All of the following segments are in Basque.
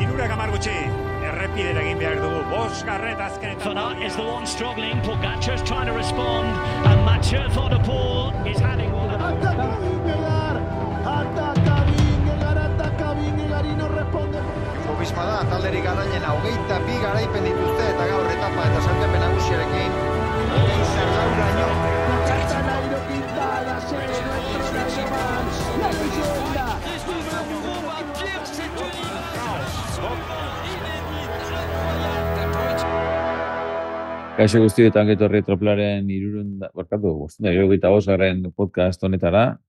Hirurak hamar gutxi, errepidera egin behar dugu, bosgarret azkenetan. Van Aert is the one struggling, Pogacar's trying to respond, and Mathieu Van der Poel is having one. Ataca Vingegaard y no responde. Jumbo-Visma da, talderik garailena, 22 garaipen dituzte eta gaur etapa eta sailkapen nagusiarekin. Zergauraino. Nairo Quintana, nuestro nacional, la leyenda. Kaixo guztietan getorri Tropelaren 385. podcast honetara.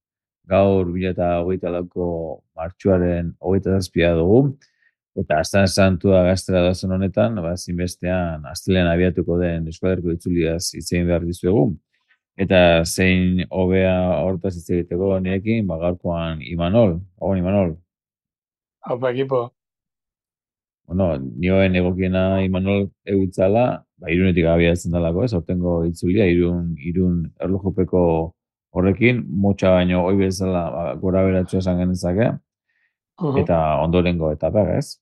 Gaur 2024ko martxoaren 27 dugu. Eta Astan Santua gaztera dazen honetan, zinbestean astelean abiatuko den Euskal itzuliaz hitz egin behar dizuegu. Eta zein hobea hortaz hitz egiteko nirekin, gaurkoan Imanol. Imanol. Haupa ekipo. Bueno, nioen egokiena Imanol egutzala, Irunetik abiatzen dalako, ez, hortengo itzulia, irun erlojupeko horrekin, motxa baino hoi bezala gora beratxo esan genezake, eta ondorengo etapa, ez?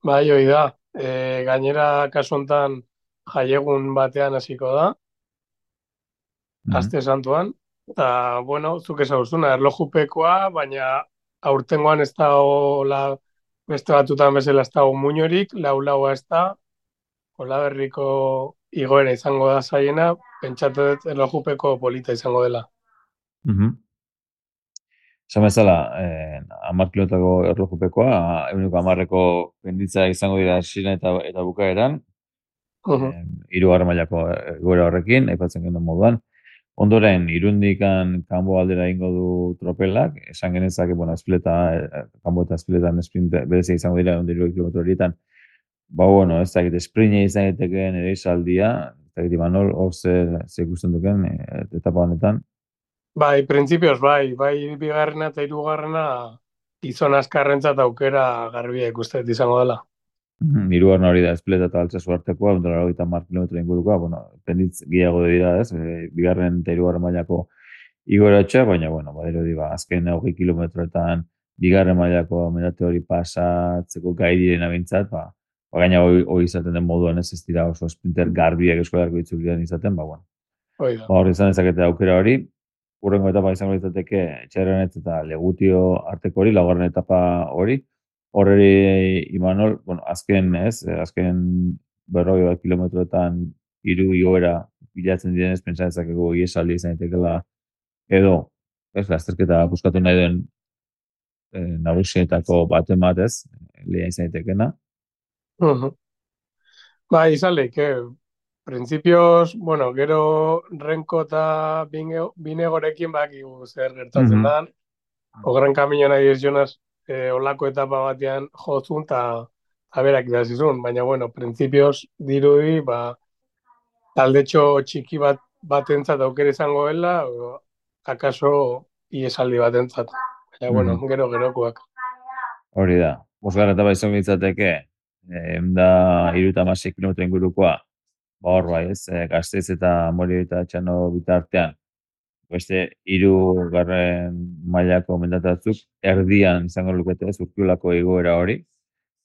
Bai, hoi da. Gainera, kasu hontan jaiegun batean hasiko da, aste santuan, eta, bueno, zuk ezaguzuna, erlojupekoa, baina aurtengoan ez da beste batutan bezala ez dago muinorik, lau-laua ez da, Olaberriko igoera izango da zaiena, pentsatu dut erlojupeko polita izango dela. Esan bezala, 10 kilotako erlojupekoa, 10ko penditza izango dira hasieran eta bukaeran, 3. mailako egoera horrekin, aipatzen genuen moduan. Ondoren, Irundikan kanbo aldera ingo du tropelak, esan genezake, kanbo eta espletan sprint berezia izango dira, 10 kilometro horietan. Ez dakit, sprine izan egiteken ere izaldia, ez dakit, Imanol, hor zer ikusten duken etapa honetan? Bai, printzipioz, bai, bigarrena eta hirugarrena gizon askarrentzat aukera garbia ikustet izango dela. Hirugarrena hori da, espleta eta altsasu artekoa, 180 kilometro ingurukoa, penditz gehiago dira, ez, bigarren eta hirugarren mailako igoratxa, baina, badiro di, azken 20 kilometroetan bigarren mailako medate hori pasatzeko gai direna bintzat, gaina hori izaten den moduan ez dira oso sprinter garbiak Euskal itzulian izaten, hor izan dezakete aukera hori, urrengo etapa izango litzateke Txerrenet eta Legutio arteko hori, laugarren etapa hori, horreri Imanol, azken 40 kilometroetan 3 igoera bilatzen direnez, pentsa dezakegu iesaldi izan daitekela edo, ez, lasterketa buskatu nahi den nagusietako baten batez, lehia izan daitekena. Izan lehike, printzipioz, gero Renko eta Binegorekin bakigu zer gertatzen da. Ogran kamino nahi dizionaz olako etapa batean jozun eta berak idazizun, baina, printzipioz dirudi, taldetxo txiki batentzat aukera izango dela, akaso iesaldi batentzat. Baina, gero-gerokoak. Hori da, bosgarren etapa izango litzateke, 36 kilometro ingurukoa, hor ez, Gasteiz eta Morio eta Txano bitartean, beste 3. mailako mendatatzuk, erdian izango lukete ez, Urkiolako igoera hori,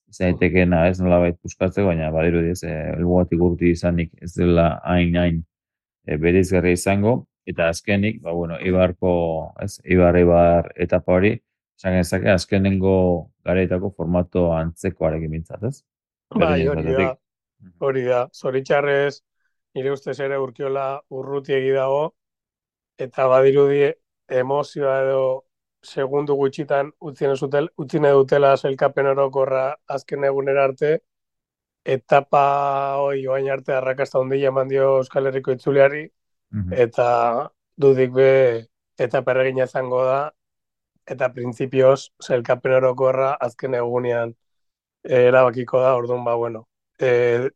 izan daitekena ez nolabait puskatzeko, baina badiru diez, helmugatik urti izanik ez dela hain bereizgarria izango, eta azkenik, Ibar etapa hori, esan genezake, azkenengo garaitako formato antzekoarekin bintzat, ez? Hori da. Zoritxarrez, nire ustez ere Urkiola urrutiegi dago, eta badirudi emozioa edo segundu gutxitan utzi nahi dutela sailkapen orokorra azken egunera arte, etapa hori oain arte arrakasta handia eman dio Euskal Herriko itzuliari, eta dudik be etapa erregina izango da, eta printzipioz sailkapen orokorra azken egunean erabakiko da, orduan,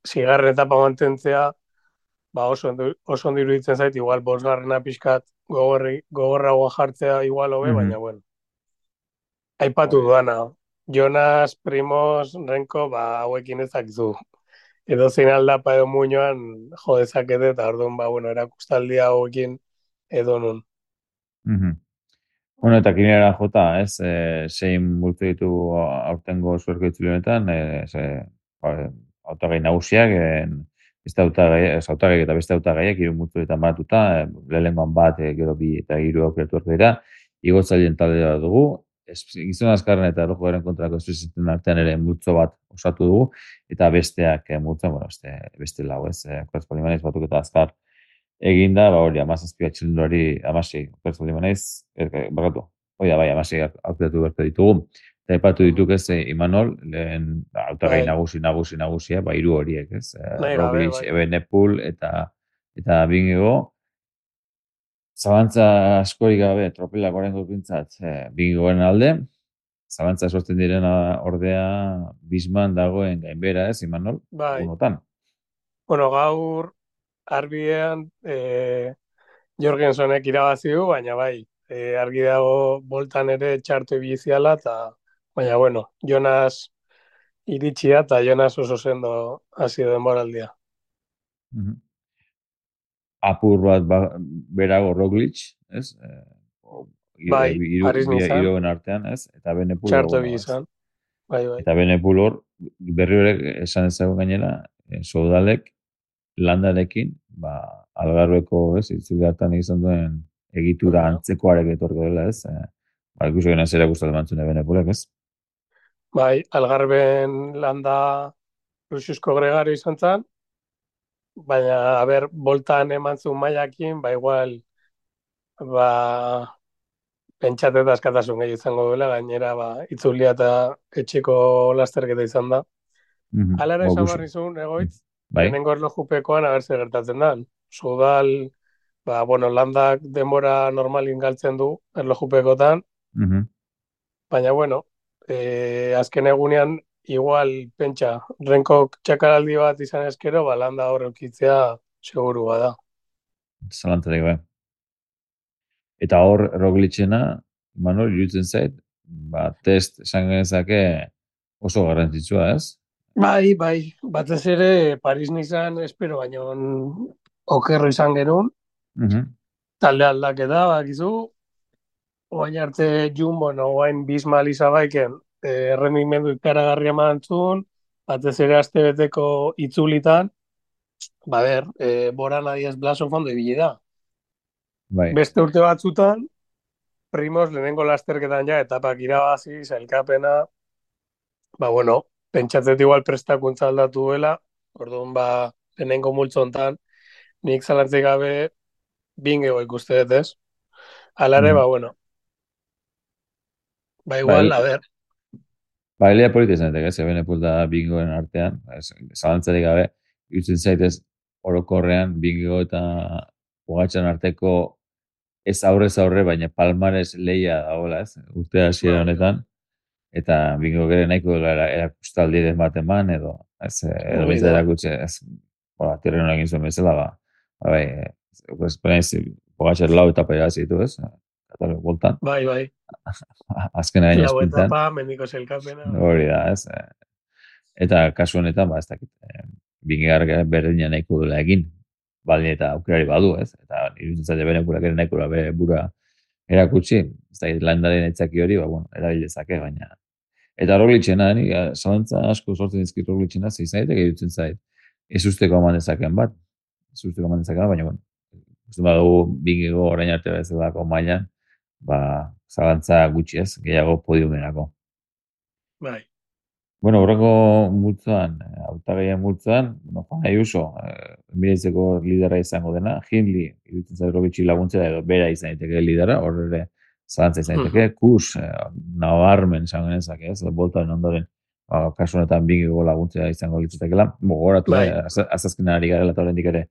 zigarren etapa mantentzea, oso ondo iruditzen zait, igual bosgarrena pixkat gogorragoa jartzea igual hobe, baina, aipatu duana, Jonas, Primoz, Renko, hauekin ezakizu. Edo zein aldapa edo muinoan jodezakete, eta orduan, erakustaldia hauekin edo nun. Bueno, eta kinera jota, ez, zein multzo ditu aurtengo zuerko itzuli honetan, hautagai nagusiak, beste hautagai eta beste hautagaiak hiru multzoetan banatuta, lehenengoan bat, gero bi eta hiru aukeratu arte dira, igotzaileen taldea dugu, gizon azkarren eta erlojuaren kontrako espliziten artean ere multzo bat osatu dugu, eta besteak multzo, bueno, beste lau, ez, Korazpalimanez batuk eta azkar, eginda, hori, 17 txilindulari, 16, okertu limanez, bakatu, hori da, bai, 16 aukeratu berko ditugu, eta epatu dituk ez, Imanol, lehen, hautagai nagusia, hiru horiek, ez, Roglic, Evenepoel, eta Bingego, zabantza askorik gabe, tropelak orengo pintzat, Bingegoen alde, zabantza sortzen direna ordea, Bisman dagoen gainbera, ez, Imanol, unotan. Bueno, gaur, Arbidean Jorgensenek irabazi du, baina bai, argi dago boltan ere txartu ibiziala, eta baina bueno, Jonas iritsia eta Jonas oso sendo hasi denboraldia. Apur bat berago Roglic, ez? Bai, Paris-Nizan. Iroen artean, ez? Eta Benepul txartu ibizan. Bai. Eta Benepul hor, berri horrek esan ezagun gainera, Soudalek landarekin, Algarveko, ez, itzuli hartan izan duen egitura antzekoarek etorko dela, ez? Ikusi gena zera guztat emantzune Benepulek, ez? Bai, Algarben landa Luxusko Gregario izan zen, baina, boltan emantzun maiakin, igual, pentsate eta askatasun gehi izango duela, gainera, itzulia eta etxeko lasterketa izan da. Alara izan barrizun, egoitz, Lehenengo erlojupekoan zer gertatzen da. Soudal, landak denbora normalin galtzen du erlojupekotan. Baina, azken egunean, igual, pentsa, renkok txakaraldi bat izan eskero, landa horrekitzea seguru bada. Zalantzarik, bai. Eta hor, Roglicena, Manol, irutzen zait, test esan genezake oso garrantzitsua, ez? Bai, batez ere Paris-Nizan espero baino okerro izan genuen. Talde aldaketa, bakizu, oain arte Jumbo, oain Bismal izabaiken, errendimendu ikaragarria mantzun, batez ere astebeteko itzulitan, Bora Nadiez Blasok fondo ibili da. Beste urte batzutan, Primoz lehenengo lasterketan etapak irabazi, sailkapena, pentsatzet igual prestakuntza aldatu duela, orduan lehenengo multzo hontan, nik zalantzik gabe Bingego ikuste dut, ez? Alare, igual, Elea polita izan ez, Evenepoel da Bingegoen artean, zalantzarik gabe, ikusten zaitez orokorrean Bingego eta Pogačar arteko ez aurrez aurre, baina palmares lehia dagoela, ez? Urte hasiera honetan, eta Bingego gero nahiko erakustaldi den bat eman, edo bizta erakutxe, tirren egin zuen bezala, Pogačar lau etapa irabazi ditu, ez? Katalog boltan. Bai. Azkena gaina esprintan. Lau etapa, mendiko zelkapena. Hori da, ez? Eta kasu honetan, ez dakit, Bingegar berdina nahiko duela egin, baldin eta aukerari badu, ez? Eta iruditzen zaila Benepulak ere nahiko bere burua erakutsi, ez da, landaren etzaki hori, erabilezake, baina. Eta Roglicena, zalantza asko sortzen dizkit Roglicena, zeizanetek iruditzen zait, ez usteko eman dezaken bat, baina, uste badugu Bingego orain arte bezalako mailan, zalantza gutxi ez, gehiago podiumerako. Bai. Bueno, horreko multzoan, hautagaien multzoan, Juan Ayuso, Emiratzeko lidera izango dena, Hindley, iruditzen zait Roglicek laguntzera edo bera izan daiteke lidera, hor ere zalantza izan daiteke, Kus, nabarmen izango genezake, ez, boltaren ondoren, kasu honetan Bingego laguntzera izango litzatekela, gogoratu, azazkena ari garela eta horrendik ere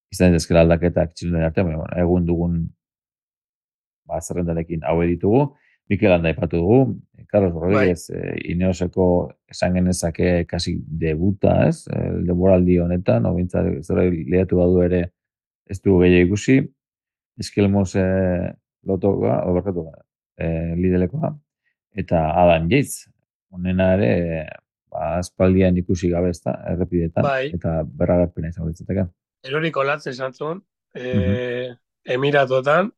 izan dezkela aldaketak txilunen artean, egun dugun zerrendarekin hau ditugu, Mikel Landa aipatu dugu, Carlos Rodríguez, Ineoseko esan genezake kasi debuta, ez? Denboraldi honetan, zera lehatu badu ere ez dugu gehiago ikusi, Eskelmos lotoa, lidelekoa, eta Adam Yates, honena ere, aspaldian ikusi gabe ez da, errepidetan, eta berragarpena izango ditzateke. Eroriko latz esan zuen, Emiratotan,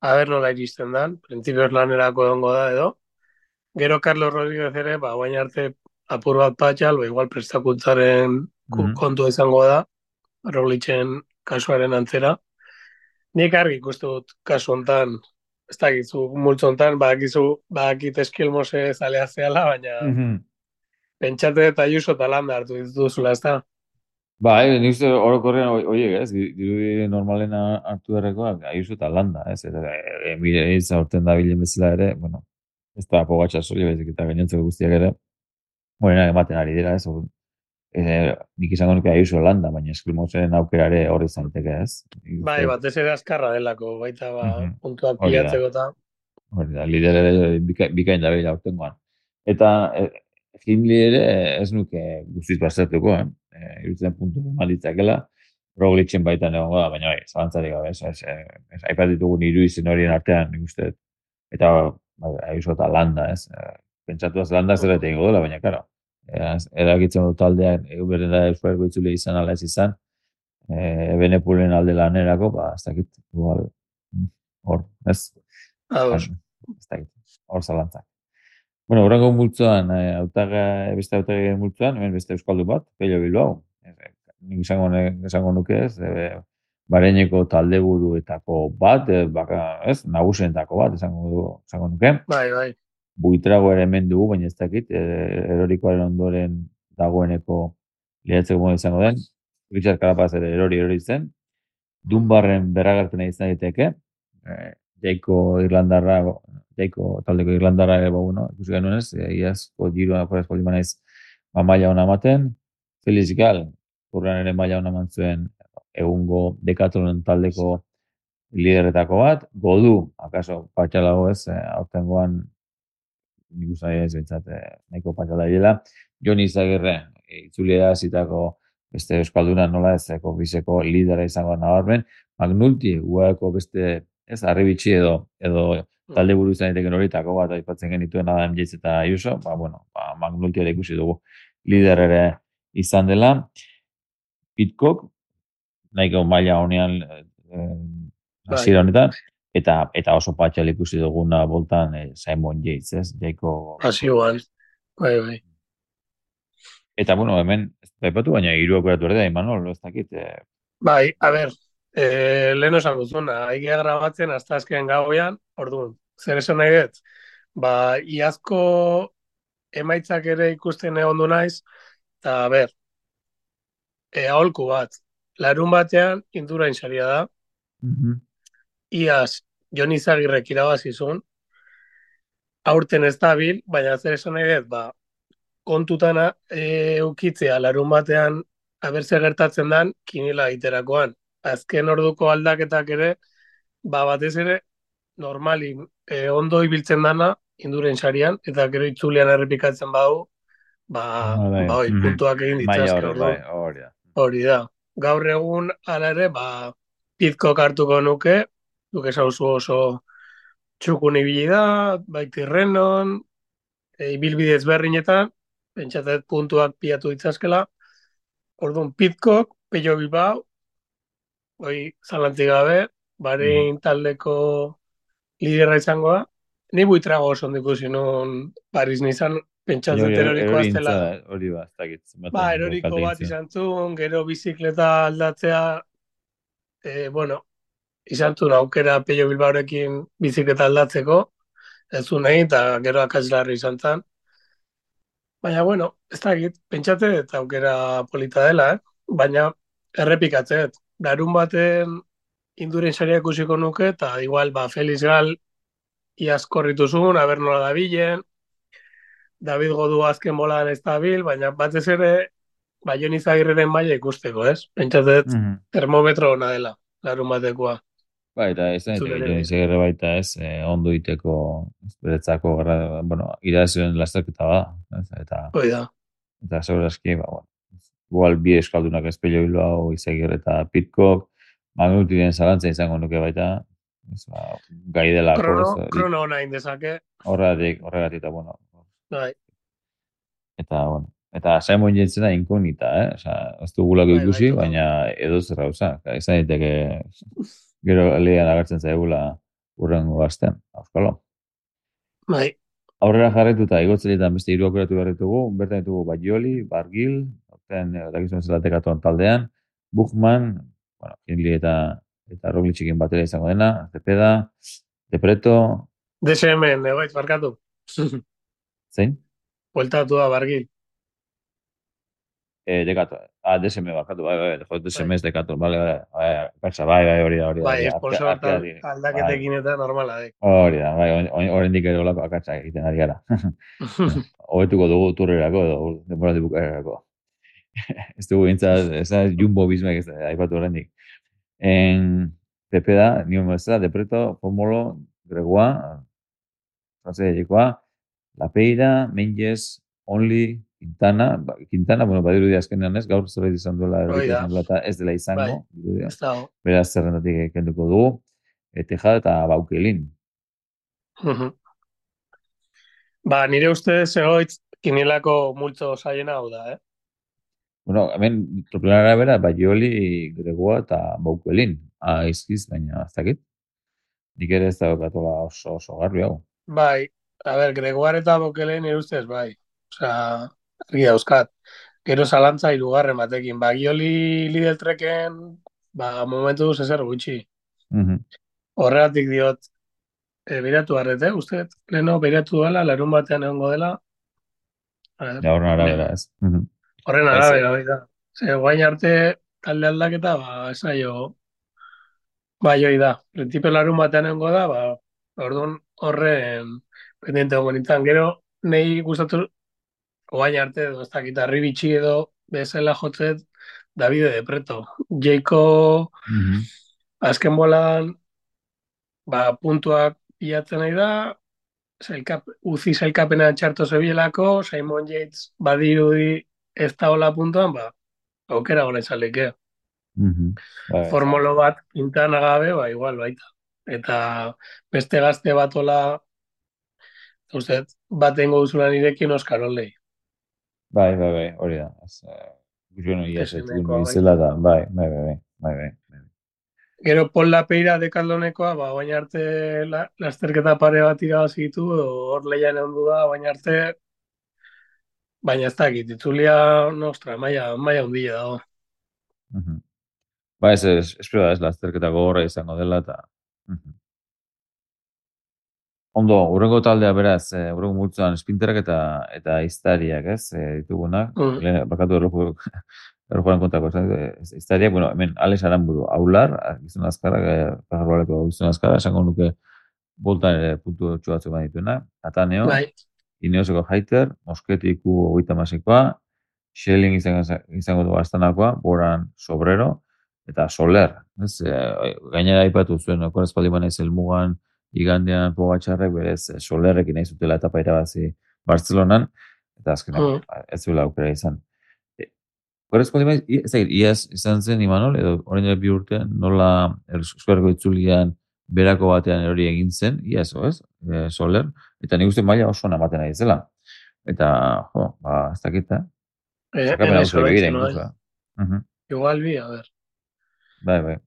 aber nola iristen dan, printzipioz lanerako egongo da edo. Gero Carlos Rodríguez ere, guain arte apur bat patxal, igual prestakuntzaren Mhm. kontua izango da, Roglicen kasuaren antzera. Nik argi ikustu dut kasu hontan, ez dakizu multzo hontan, badakit eskilmose zalea zehala, baina Mhm. pentsate eta Ayuso eta Landa hartu dituzula, ez da? Nik uste orokorrean horiek, ez, dirudi normalen hartu beharrekoak, Ayuso eta Landa, ez, eta Emirates aurten da bilen bezala ere, bueno, ez da Pogačar soilik baizik eta gainontzeko guztiak ere, buena ematen ari dira, ez, nik izango nuke Ayuso Landa, baina Eskimosen aukera ere horri zaiteke, ez. Nik Bai, uste, batez ere azkarra delako, baita Mhm. puntuak Hori da. pilatzeko eta... Hori da, lider ere bikain da behila aurtengoan. Eta Hindley ere ez nuke guztiz baztertuko, irutzen puntu malitzakela, Roglicen baitan egongo da, baina bai, zalantzarik gabe, ez aipat ditugun hiru izen horien artean, nik uste, eta Ayuso eta Landa, ez, pentsatu az Landa zer eta ingo dela, baina, karo, eragitzen dut taldean, beren da Euskal itzule izan ala ez izan, Benepulen alde lanerako, ez dakit, igual, hor, ez, Ados. ez dakit, hor zalantzak. Bueno, horrengo multzoan, beste hautagai multzoan, hemen beste euskaldu bat, Pello Bilbao. Nik izango nuke ez, Bareineko taldeburuetako bat, ez, nagusientako bat, izango nuke. Bai, bai. Buitrago ere hemen dugu, baina ez dakit, erorikoaren ondoren dagoeneko liatzeko modu izango den. Richard Carapaz ere erori zen. Dunbarren berragartena izan daiteke. Jaiko taldeko Irlandarra ere, bueno, ikusi genuen ez, iazko giroa porez polima naiz maila ona ematen. Felix Gal, urran ere maila ona eman zuen egungo Decathlon taldeko lideretako bat. Godu, akaso patxalago ez, aurtengoan nik uste ez bintzat nahiko patxala dela. Jon Izagirre, itzuliera zitako beste euskalduna nola ez, bizeko lidera izango nabarmen. Magnulti, guako beste ez, Arribitxi edo talde buru izan daiteken horietako bat aipatzen genituen Adam Yates eta Ayuso, Magnulti ere ikusi dugu lider ere izan dela. Pitcock, nahiko maila honean hasiera honetan, eta oso patxal ikusi duguna boltan Simon Yates, ez? Jaiko... Pasioan, bai. Eta, bueno, hemen, baipatu baina hiru aukeratu ere da, Imanol, ez dakit. Bai, a ber, lehen esan duzuna, aigia grabatzen hasta azken gauean, orduan, zer esan nahi dut? Iazko emaitzak ere ikusten egon du naiz, eta a ber, aholku bat, larun batean Indurain saria da, iaz Jon Izagirrek irabazizun, aurten ez dabil, baina zer esan nahi dut, kontutana eukitzea larun batean abertze gertatzen dan kinila egiterakoan. Azken orduko aldaketak ere, batez ere, normalin ondo ibiltzen dana Induren sarian, eta gero itzulian errepikatzen badu, puntuak egin ditzazke. Hori da. Gaur egun ala ere, Pitcock hartuko nuke, duke sauzu oso txukun ibili da, Tirrenon, ibilbide ezberdinetan, pentsatet puntuak pilatu ditzazkela. Orduan, Pitcock, Pello Bilbao, zalantzik gabe, Barein taldeko liderra izangoa. Ni Buitrago oso ondiko zinun Paris nizan, pentsatzen eroriko aztela. Hori ba, ez dakit. Eroriko bat izan zuen, gero bizikleta aldatzea, izan zuen aukera Pello Bilbaorekin bizikleta aldatzeko, ez zuen egin, eta gero akatslarri izan zen. Baina, ez dakit, pentsate eta aukera polita dela, baina errepikatzet. Larun baten Induren saria ikusiko nuke, eta igual, Felix Gal iaz korritu zuen, aber nola dabilen, David Godu azken bolan ez dabil, baina batez ere, Jon Izagirreren maila ikusteko, ez? Pentsatet termometro ona dela, larun batekoa. Eta ez da, Jon Izagirre baita ez, ondo iteko, beretzako, irazioen lasterketa bada. Eta segurazki, igual bi eskaldunak ez Pello Bilbao, Izagirre eta Pitcock, Magnultiren zalantza izango nuke baita, gai delako. Krono ona indezake. Horregatik, eta eta Simon Yatesena inkognita, ez dugulako ikusi, baina edo zer gauza. Izan daiteke, gero lehian agertzen zaigula urrengo astean, auskalo. Bai, Aurrera jarraituta, igotzeletan beste hiru aukeratu behar ditugu, bertan ditugu Baioli, Bargil, aurten dakizuen zela Decathlon taldean, Buchmann, bueno, Hindley eta Rogliczekin batera izango dena, Cepeda, Depreto, DSM, egoitz, barkatu. zein? Bueltatu da, bargil. Decathlon, DSM barkatu, bai, DSM ez Decathlon, bai, hori da, Bai, hori da, sponsor aldaketekin eta normala, hori da, bai, oraindik ere olako akatsak egiten ari gara. Hobetuko dugu turrerako edo denboraldi bukaerarako. Ez dugu bintzat, ez da Jumbo Vismek ez da, aipatu oraindik. Pepe da, nion bezala, Depreto, Formolo, Gregoa, Frantzia Lapeira, Menges, Only, Quintana, bueno, badiru di azkenean ez, gaur zerbait izan duela, eta ez dela izango, ez dago. Beraz zerrendatik kenduko dugu, Tejada eta Baukelin. Ba, nire ustez egoitz, kinielako multzo saiena hau da, Bueno, hemen troplanara bera, Baioli, Gregoa eta Baukelin. Izkiz, baina ez dakit. Nik ere ez daukatola oso garbi hau. Bai, a ber, Gregoire eta Bokelen nire ustez, bai. Osea, argi dauzkat. Gero zalantza hirugarren batekin. Bagioli Lidl Treken, ba, momentu duz ezer gutxi. Horregatik diot, beiratu harrete, uste, leno, beiratu dela, larun batean egongo dela. Ja, horren arabera, ez. Horren arabera, bai da. Ze, guain arte, talde aldaketa, ba, esaio, bai, hoi da. Principio larun batean egongo da, ba, orduan horren pendiente gongo nintzen. Gero, nahi gustatu, guain arte, edo, ez dakit, arribitxi edo, bezala jotzet, Davide de Preto. Jeiko, azken bolan, ba, puntuak bilatzen nahi da, uzi zailkapena txarto zebielako, Simon Yates badirudi ez da hola puntuan, ba, aukera gona izaleke. Formolo bat pintan agabe, ba, igual baita. Eta beste gazte bat hola, uste, bat engo duzula nirekin Oskar Olei. Bai, hori da. Guztion hori izela da, bai. Gero Pol Lapeira Dekaldonekoa, ba, baina arte lasterketa pare bat irabazitu, hor lehian egon du da, baina arte, baina ez dakit, itzulia, nostra, maia hundile dago. Ba, espero da, ez lasterketa gogorra izango dela, eta... Ondo, urrengo taldea beraz, urrengo multzoan espinterak eta iztariak, ez, ditugunak. Bakatu errojuaren kontako, iztariak, bueno, hemen Alex Aramburu, Aular, gizon azkarrak, pajarbaleko gizon azkarrak, esango nuke boltan ere puntu txuatzu bat dituena. Ataneo, Ineoseko Haiter, Mosketiku 30-koa, Schelling izango du Astanakoa, Boran Sobrero, eta Soler. Gainera aipatu zuen, okorazpaldi banaiz helmugan, igandean Pogačarrek berez Solerrekin nahi zutela etapa irabazi Bartzelonan, eta azkenean ez zuela aukera izan. Okorazpaldi banaiz, iaz izan zen Imanol, edo orain dela 2 urte, nola eskuarko itzulian berako batean hori egin zen, iaz, ez? Soler, eta nik uste maila oso namaten ari zela. Eta, ez dakit, Zakapen hau zure begira, Igual bi, a ver. Bai.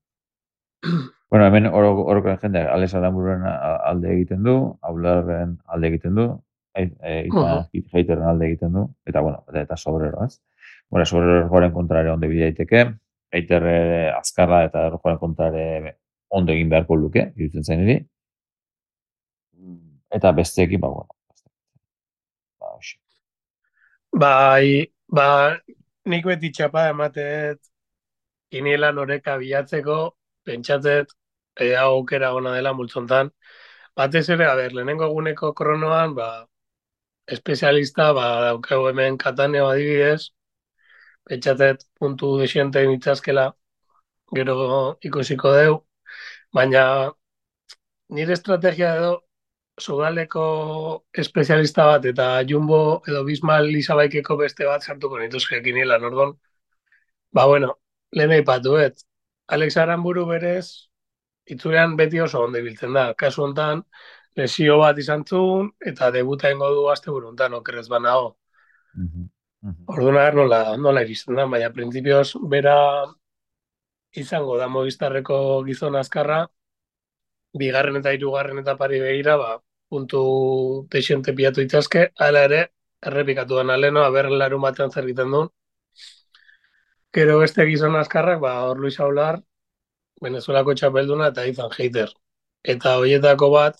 Bueno, hemen orokoren jendeak Alex Arambururen alde egiten du, Aularren alde egiten du, Haiteren alde egiten du, eta, bueno, eta Sobrero, ez? Bueno, Sobrero errojoaren kontrare onde bidea daiteke, Haiter azkarra eta errojoaren kontrare ondo egin beharko luke, irutzen zain eri. Eta besteekin, bueno. Nik beti txapa ematet kinielan oreka bilatzeko, pentsatzet, aukera gona dela multzontan. Batez ere, lehenengo eguneko kronoan, espezialista, daukeu hemen Kataneo adibidez, pentsatzet puntu desiente nitzazkela, gero ikusiko deu, baina nire estrategia edo Sudaleko espezialista bat eta Jumbo edo Bismal Lisabaikeko beste bat sartuko nituzke kinielan, ordon. Lehen aipatu, Alex Aramburu berez, itzulean beti oso ondo ibiltzen da. Kasu hontan, lesio bat izan zuen, eta debuta ingo du azte buruntan, okerrez banago. Orduan nola iristen da, baina printzipioz bera izango da Movistarreko gizon azkarra, bigarren eta hirugarren etapari begira, puntu teixente pilatu itazke, hala ere, errepikatu den aleno, aber larun batean zer egiten duen. Gero beste gizon azkarrak, hor Luis Aular, Venezuelako txapelduna eta Ethan Hayter. Eta horietako bat,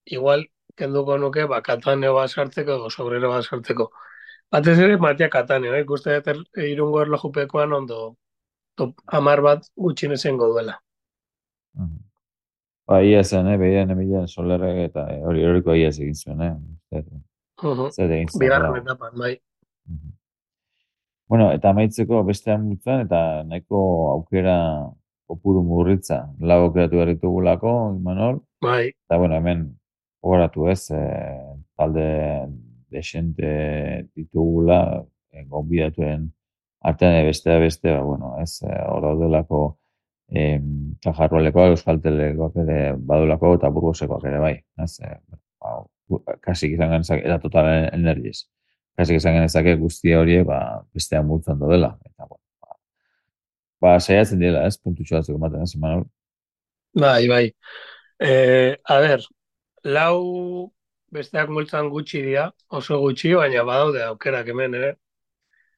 igual, kenduko nuke, Kataneo bat sartzeko, edo Sobrero bat sartzeko. Batez ere, Matia Kataneo, ikuste dut irungo erlojupekoan ondo, top 10 bat gutxien esengo duela. Ia zen, behian emilean Solerrek eta hori horiko ia egin zuen, Zer egin zuen. Bigarren etapan, bai. Bueno, eta amaitzeko bestean mutzen, eta nahiko aukera kopuru murritza, lau aukeratu berritugulako, Imanol. Bai. Eta, bueno, hemen horatu talde desente ditugula, gonbidatuen artean beste, bueno, hor daudelako Kajarrolekoak, Euskaltelekoak ere badulako eta Burgosekoak ere bai. Kasik izan genezak, eta Total Energies. Kasik izan genezake guztia horiek bestean multzan dela. Eta, saiatzen dira, puntutxo batzuk ematen, Imanol? Bai. A ber, lau besteak multzan gutxi dira, oso gutxi, baina badaude aukerak hemen ere.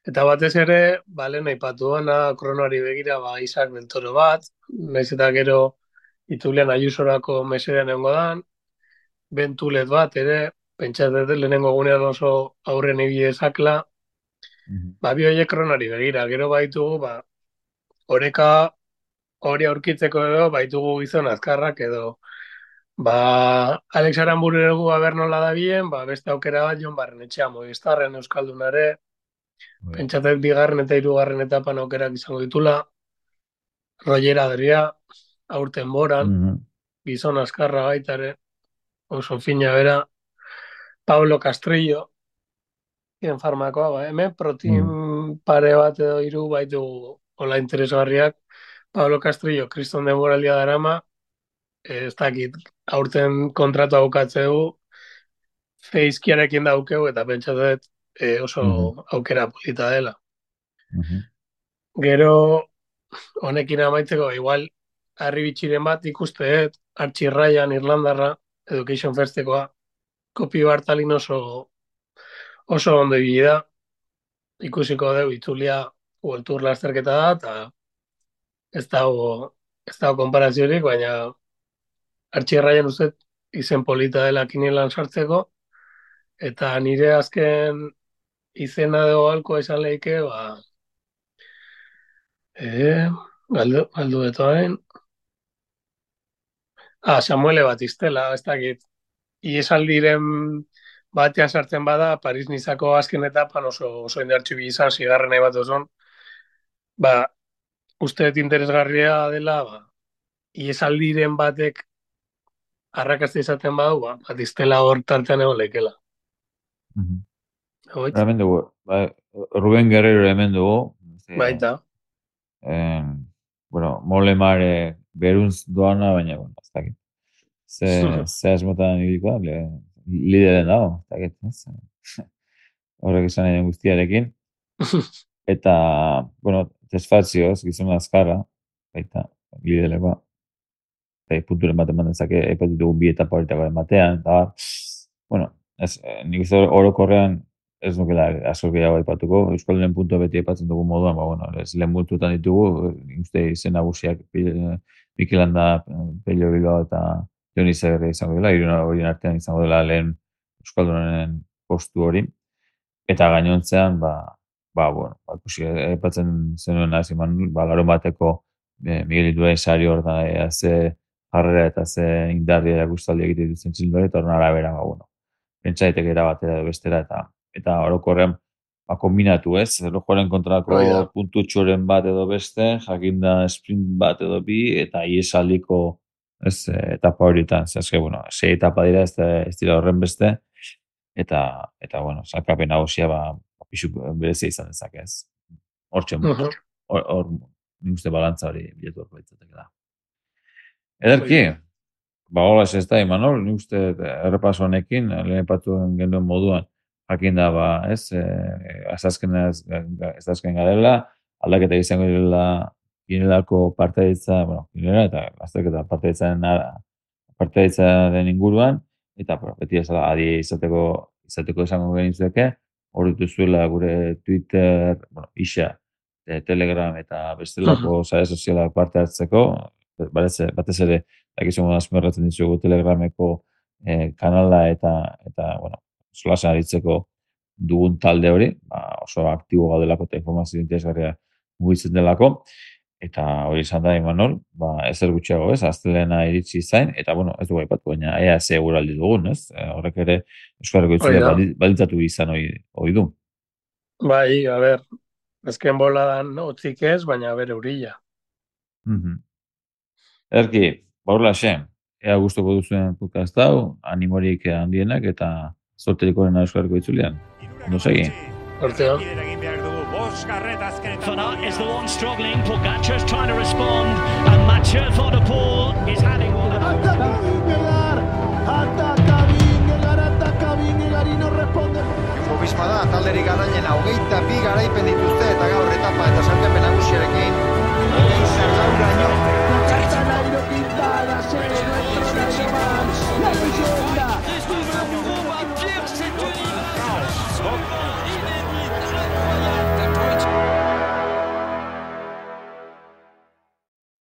Eta batez ere, lehen aipatu dana, kronoari begira, Isaac del Toro bat, nahiz eta gero itulean Ayusorako mesedean egongo dan, Bentulet bat ere, pentsatzen lehenengo gunean oso aurren ibile zakla, bi horiek kronoari begira, gero baitugu, oreka hori aurkitzeko edo, baitugu gizon azkarrak edo, Alex Aranburu aber nola da bien, beste aukera bat Jon Barrenetxea, Movistarren Euskaldunare, pentsatzen bigarren eta hirugarren etapan aukerak izango ditula, Roger Adria, aurten boran, gizon azkarra baitare, oso fina bera, Pablo Castrillo, hien farmakoa, hemen protein pare bat edo hiru baitu hola interesgarriak, Pablo Castrillo, kriston denboraldia darama, ez dakit, aurten kontratu aukatzeu, feizkiarekin daukeu, eta pentsatzen oso aukera polita dela. Gero, honekin amaitzeko, igual, harri bitxiren bat ikusteet, Archie Ryan Irlandarra, Education Firstekoa, Kopi Bartalin oso ondo ibili da, ikusiko dugu itzulia World Tour lasterketa da, eta ez dago konparaziorik, baina Archie Ryan uste izen polita dela kinielan sartzeko, eta nire azken izena dugu alko esan lehike, galdu betoain. Samuele Batistela, ez dakit. Iesaldiren batean sartzen bada, Paris-Nizako azken etapan oso indartxu izan, zigarren nahi bat oson. Uste interesgarria dela, iesaldiren batek arrakazte izaten badu, Batistela hor tartean egon lehikela. Hemen dugu, Ruben Guerrero hemen dugu. Baita. Bueno, Molemare beruntz doana, baina, ez dakit. Ze asmotan ibikoa, lideren dago, ez dakit. Horrek izan egin guztiarekin. Eta, bueno, Tesfazioz, gizon azkarra, baita, lidelekoa. Punturen bat eman dezake, epatitugu bi etapa horitako ematean, eta, bueno, nik ez orokorrean ez nukela asko gehiago aipatuko, Euskaldunen puntua beti aipatzen dugu moduan, bueno, ez lehen multutan ditugu, uste izen nagusiak Mikel Landa, Pello Bilbao eta Joni Zagirre izango dela, hiruna horien artean izango dela lehen Euskaldunen postu hori, eta gainontzean, bueno, aipatzen zenuen naziman, garo bateko Miguel Indurain sari horretan ze jarrera eta ze indarri erakustaldi egite duzen txildore, eta horren arabera, bueno, pentsaitek erabatera edo bestera, eta orokorrean kombinatu ez, erlojuaren kontrako puntutxoren bat edo beste, jakinda sprint bat edo bi, eta iesaldiko etapa horietan, zehazke, bueno, 6 etapa dira, ez dira horren beste, eta bueno, salkapen nagusia pixu berezia izan dezake ez. Hortxe, hor nik uste balantza hori biletu horko ditzatek da. Ederki, hola ez da, Imanol, nik uste errepaso honekin, lehen epatuen genuen moduan, jakin da, ez, azazken garela, aldaketa izango direla ginelako parteitza, bueno, ginela eta azterketa parteitzaren partaitzaren inguruan, eta beti ezala adi izateko esango genitzueke, hor dituzuela gure Twitter, isa, Telegram eta bestelako sare sozialak parte hartzeko, batez ere, dakizun azmerratzen ditugu Telegrameko kanala eta solasen aritzeko dugun talde hori, oso aktibo gaudelako eta informazio interesgarria mugitzen delako, eta hori izan da, Imanol, ezer gutxiago, astelena iritsi zain, eta, ez dugu aipatu, baina ea ze eguraldi dugun, horrek ere Euskarriko itzulea balitzatu izan hori du. Bai, a ber, ezken boladan otzik ez, baina bere urilla. Erki, baurla xen, ea gustoko duzuen podcast hau, animorik handienak eta zorterikoren Euskarriko itzulean. Ondo segi. Horteo. Van Aert is the one struggling. Pogacar's trying to respond, and Mathieu Van der Poel is having one. Ataca Vingegaard y no responde. Jumbo Visma da talderik garailena 22 garaipen dituzte eta gaur etapa eta sailkapen nagusiarekin